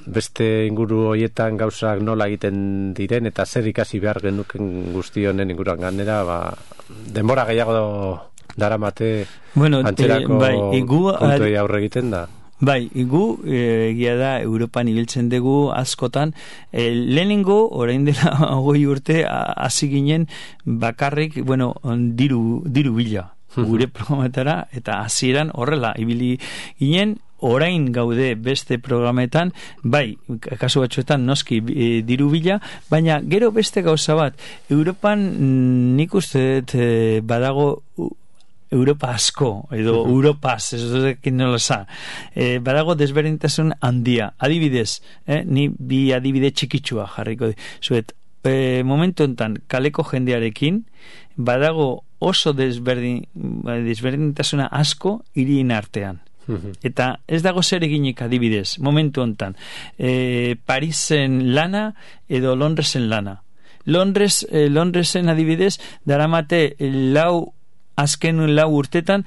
beste inguru hoietan gauzak nola egiten diren eta zer ikasi behar genuken guzti honen inguruan ganera, ba, denbora gehiago daramate bueno, antzerako bai, igu, puntuei aurre egiten da. Bai, gu egia da Europan ibiltzen dugu askotan, e, lehenengo orain dela hogei urte hasi ginen bakarrik, bueno, diru, diru bila gure programetara, eta hasieran horrela ibili ginen. Orain gaude beste programetan, bai, kasu batzuetan noski e, diru bila, baina gero beste gauza bat, Europan nik uste e, badago Europa asko, edo uh-huh. Europaz, ez duzekin nola za. E, badago desberdintasun handia. Adibidez, eh, ni bi adibide txikitsua jarriko di. Zuet, e, momentu enten, kaleko jendearekin, badago oso desberdin, desberdintasuna asko hirien artean. Uh-huh. Eta ez dago zer eginik adibidez, momentu enten, e, Parisen lana edo Londresen lana. Londres, eh, Londresen adibidez, daramate lau azken lau urtetan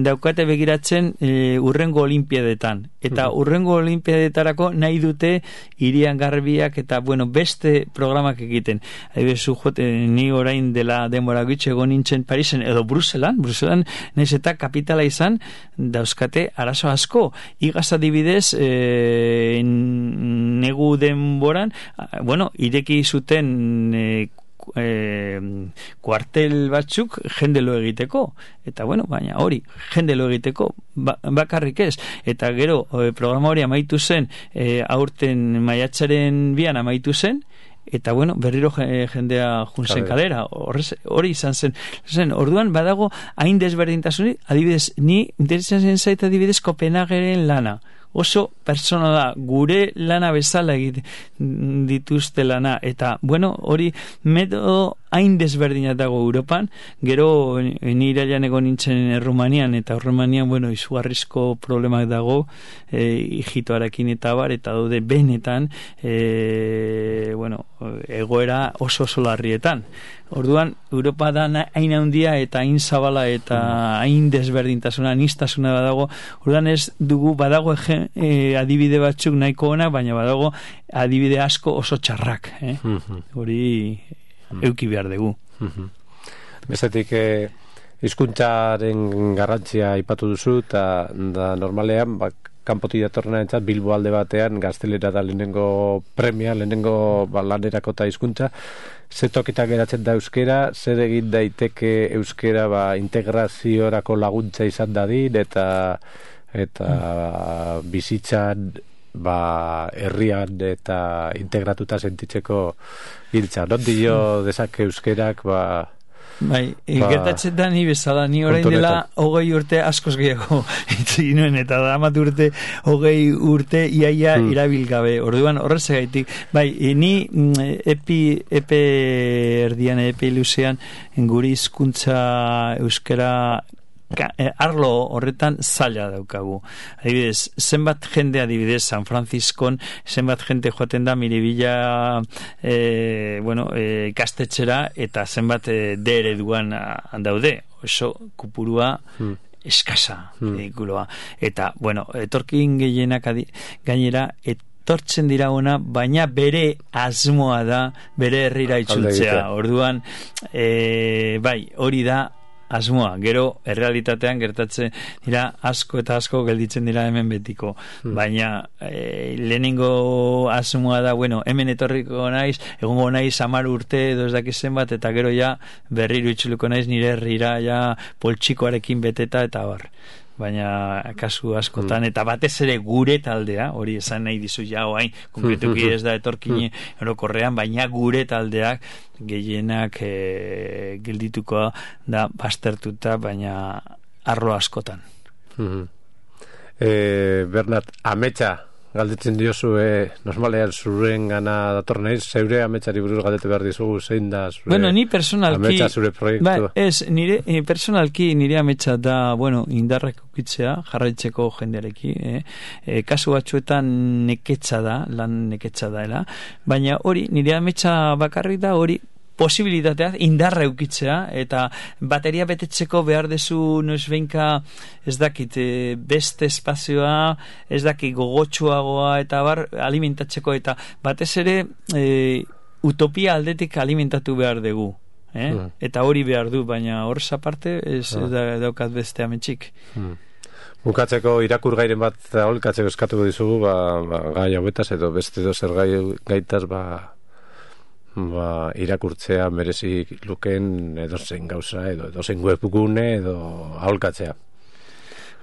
daukate begiratzen e, urrengo olimpiadetan. Eta urrengo olimpiadetarako nahi dute hirian garbiak eta bueno, beste programak egiten. Haibezu jote, ni orain dela denbora gitxe egon nintzen Parisen edo Bruselan, Bruselan nahiz eta kapitala izan dauzkate arazo asko. Igaz adibidez e, negu denboran, bueno, ireki zuten e, E, kuartel batzuk jendelo egiteko, eta bueno, baina hori jendelo egiteko ba, bakarrik ez, eta gero e, programa hori amaitu zen e, aurten maiatzaren bian amaitu zen, eta bueno, berriro jendea junzen kalera, horrez, hori izan zen. zen. Orduan, badago, hain desberdintasunik, adibidez, ni interesatzen zait adibidez Kopenhageren lana. Oso persona da, gure lana bezala egiten dituzte lana, eta, bueno, hori metodo hain desberdina dago Europan, gero ni irailan egon nintzen Errumanian, eta Errumanian, bueno, izugarrizko problemak dago, e, hijitoarekin eta bar, eta daude benetan, e, bueno, egoera oso oso larrietan. Orduan, Europa da hain handia eta hain zabala eta hain desberdintasuna, aniztasuna badago. Orduan ez dugu badago ege, e, adibide batzuk nahiko ona, baina badago adibide asko oso txarrak. Eh? Hori euki behar dugu. Bestetik, eh, hizkuntzaren garrantzia aipatu duzu, eta da normalean, bak, kanpotik datorrena entzat, Bilbo alde batean, gaztelera da lehenengo premia, lehenengo ba, lanerako eta hizkuntza. Ze tokitan geratzen da euskera, zer egin daiteke euskera ba, integraziorako laguntza izan dadin, eta eta mm. bizitzan ba, herrian eta integratuta sentitzeko hiltza. Non dio dezake euskerak ba, Bai, ba, gertatzen da ni bezala, ni orain dela hogei urte askoz gehiago itzi nuen, eta damat urte hogei urte iaia hmm. irabilgabe. Orduan horrezagaitik, bai, ni epi, epe erdian, epi luzean, guri hizkuntza euskera arlo horretan zaila daukagu. Adibidez, zenbat jende adibidez San Franciscon, zenbat jente joaten da Miribilla e, bueno, e, ikastetxera, eta zenbat e, de ereduan daude. Oso kupurua hmm. eskasa edikuloa. Hmm. Eta, bueno, etorkin gehienak adi, gainera, etortzen dira ona, baina bere asmoa da, bere herrira itzultzea. Orduan, e, bai, hori da asmoa, gero errealitatean gertatzen dira asko eta asko gelditzen dira hemen betiko, hmm. baina e, lehenengo asmoa da, bueno, hemen etorriko naiz, egongo naiz hamar urte edo ez dakizen bat, eta gero ja berriro itxuliko naiz nire herrira ja poltsikoarekin beteta eta bar. Baina kasu askotan, eta batez ere gure taldea, hori esan nahi dizu ja oain, konkretuki ez da etorkine orokorrean, baina gure taldeak gehienak e, geldituko da baztertuta, baina arlo askotan. e, Bernat, ametsa galdetzen diozu, e, normalean zuren gana dator naiz, zeure ametsari buruz galdete behar dizugu, zein da zure bueno, ni personalki, ametsa, zure proiektu? Ba, ez, nire, eh, personalki nire ametsa da, bueno, indarrak ukitzea, jarraitzeko jendeareki, eh? E, kasu batzuetan neketza da, lan neketza daela, baina hori, nire ametsa bakarrik da, hori, posibilitatea indarra eukitzea, eta bateria betetzeko behar dezu noizbeinka ez dakit beste espazioa, ez dakit gogotsuagoa eta bar alimentatzeko, eta batez ere e, utopia aldetik alimentatu behar dugu, eh? Mm. Eta hori behar du, baina horrez aparte ez mm. da, daukat beste ametxik. Mm. Bukatzeko irakur gairen bat aholkatzeko eskatuko dizugu, ba, ba, gai hauetaz edo beste dozer gai gaitaz ba ba, irakurtzea merezi luken edozein gauza edo edozein webgune edo aholkatzea.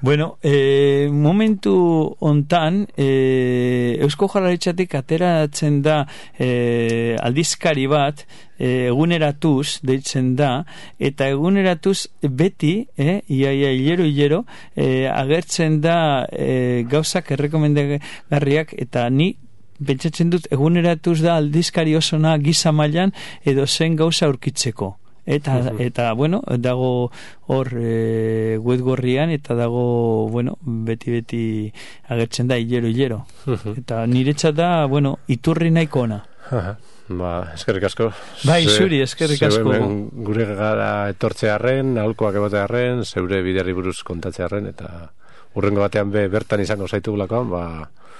Bueno, eh, momentu hontan eh, Eusko Jaurlaritzatik ateratzen da eh, aldizkari bat eh, eguneratuz deitzen da, eta eguneratuz beti eh, iaia hilero hilero eh, agertzen da eh, gauzak errekomendagarriak, eta ni pentsatzen dut eguneratuz da aldizkari osona giza mailan edo zen gauza aurkitzeko. Eta, uh-huh. eta bueno, dago hor e, webgorrian, eta dago, bueno, beti-beti agertzen da hilero hilero. Uh-huh. Eta niretzat da, bueno, iturri nahiko ona. Uh-huh. Ba, eskerrik asko. Bai, zuri, eskerrik asko. Zeure gure gara etortzearren, aholkoak egotearren, zeure bideari buruz kontatzearren, eta urrengo batean be, bertan izango zaitugulakoan, ba...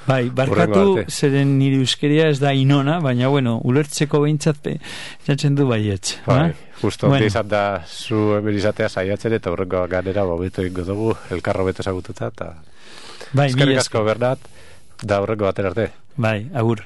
Bai, barkatu, zeren nire euskeria ez da inona, baina, bueno, ulertzeko behintzat jatzen du baietz. Bai, justo, bueno. Izan da zu emerizatea saiatzen, eta urrengo ganera bobeto ingo dugu, elkarro beto esagututa, eta bai, eskerrik asko, Bernat, da urrengo baten arte. Bai, agur.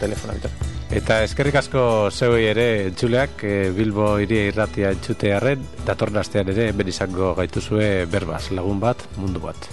Telefona, bitar. Eta eskerrik asko zeuei ere entzuleak, e, Bilbo Hiria Irratia entzutearren, datorren astean ere ben izango gaituzue berbaz, lagun bat, mundu bat.